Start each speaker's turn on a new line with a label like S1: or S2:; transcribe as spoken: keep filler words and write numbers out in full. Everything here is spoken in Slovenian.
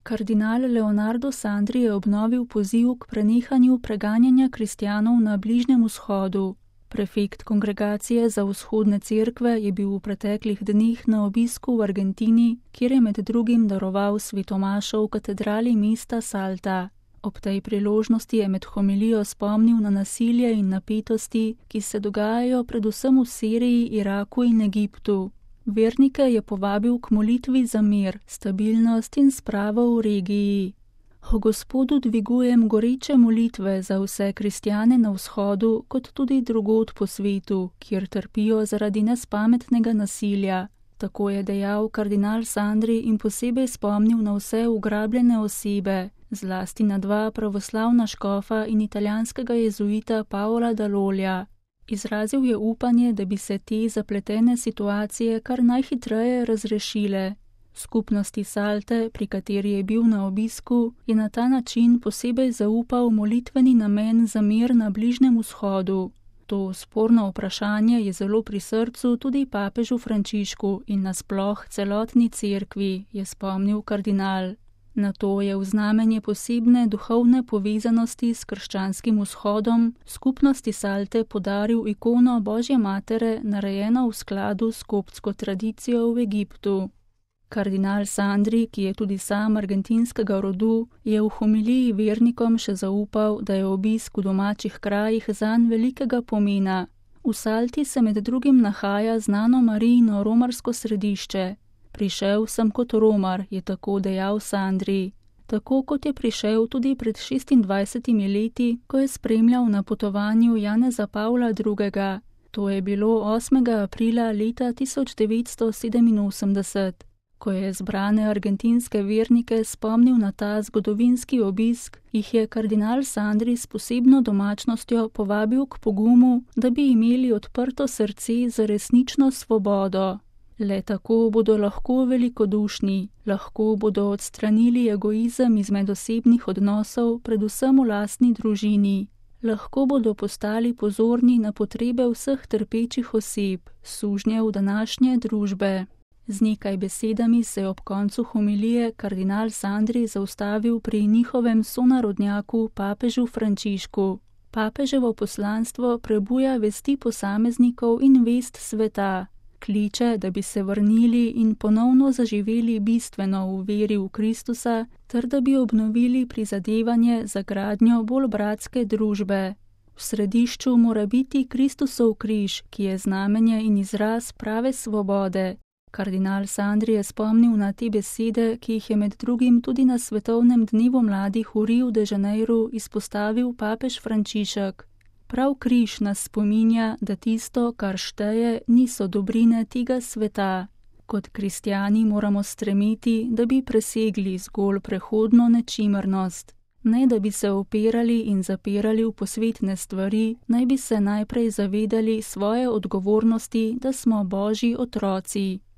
S1: Kardinal Leonardo Sandri je obnovil poziv k prenehanju preganjanja kristjanov na Bližnjem vzhodu. Prefekt Kongregacije za vzhodne cerkve je bil v preteklih dneh na obisku v Argentini, kjer je med drugim daroval svetomašo v katedrali mesta Salta. Ob tej priložnosti je med homilijo spomnil na nasilje in napetosti, ki se dogajajo predvsem v Siriji, Iraku in Egiptu. Vernike je povabil k molitvi za mir, stabilnost in spravo v regiji. O Gospodu dvigujem goreče molitve za vse kristjane na vzhodu, kot tudi drugod po svetu, kjer trpijo zaradi nespametnega nasilja. Tako je dejal kardinal Sandri in posebej spomnil na vse ugrabljene osebe, zlasti na dva pravoslavna škofa in italijanskega jezuita Paola Dall'Oglio. Izrazil je upanje, da bi se te zapletene situacije kar najhitreje razrešile. Skupnosti Salte, pri kateri je bil na obisku, je na ta način posebej zaupal molitveni namen za mir na Bližnjem vzhodu. To sporno vprašanje je zelo pri srcu tudi papežu Frančišku in nasploh celotni cerkvi, je spomnil kardinal. Na to je v znamenje posebne duhovne povezanosti s krščanskim vzhodom skupnosti Salte podaril ikono Božje matere, narejeno v skladu s koptsko tradicijo v Egiptu. Kardinal Sandri, ki je tudi sam argentinskega rodu, je v homiliji vernikom še zaupal, da je obisk v domačih krajih zanj velikega pomena. V Salti se med drugim nahaja znano Marijino romarsko središče. Prišel sem kot Romar, je tako dejal Sandri. Tako kot je prišel tudi pred šestindvajsetimi leti, ko je spremljal na potovanju Janeza Pavla drugega. To je bilo osmega aprila leta tisoč devetsto sedeminosemdeset. Ko je zbrane argentinske vernike spomnil na ta zgodovinski obisk, jih je kardinal Sandri s posebno domačnostjo povabil k pogumu, da bi imeli odprto srce za resnično svobodo. Le tako bodo lahko velikodušni, lahko bodo odstranili egoizem iz medosebnih odnosov, predvsem v lastni družini. Lahko bodo postali pozorni na potrebe vseh trpečih oseb, sužnjev današnje družbe. Z nekaj besedami se je ob koncu homilije kardinal Sandri zaustavil pri njihovem sonarodnjaku papežu Frančišku. Papeževo poslanstvo prebuja vesti posameznikov in vest sveta. Kliče, da bi se vrnili in ponovno zaživeli bistveno v veri v Kristusa, ter da bi obnovili prizadevanje za gradnjo bolj bratske družbe. V središču mora biti Kristusov križ, ki je znamenje in izraz prave svobode. Kardinal Sandri je spomnil na te besede, ki jih je med drugim tudi na svetovnem dnevu mladih v Riu de Janeiru izpostavil papež Frančišek. Prav križ nas spominja, da tisto, kar šteje, niso dobrine tega sveta. Kot kristjani moramo stremeti, da bi presegli zgolj prehodno nečimrnost. Ne da bi se opirali in zapirali v posvetne stvari, naj bi se najprej zavedali svoje odgovornosti, da smo Božji otroci.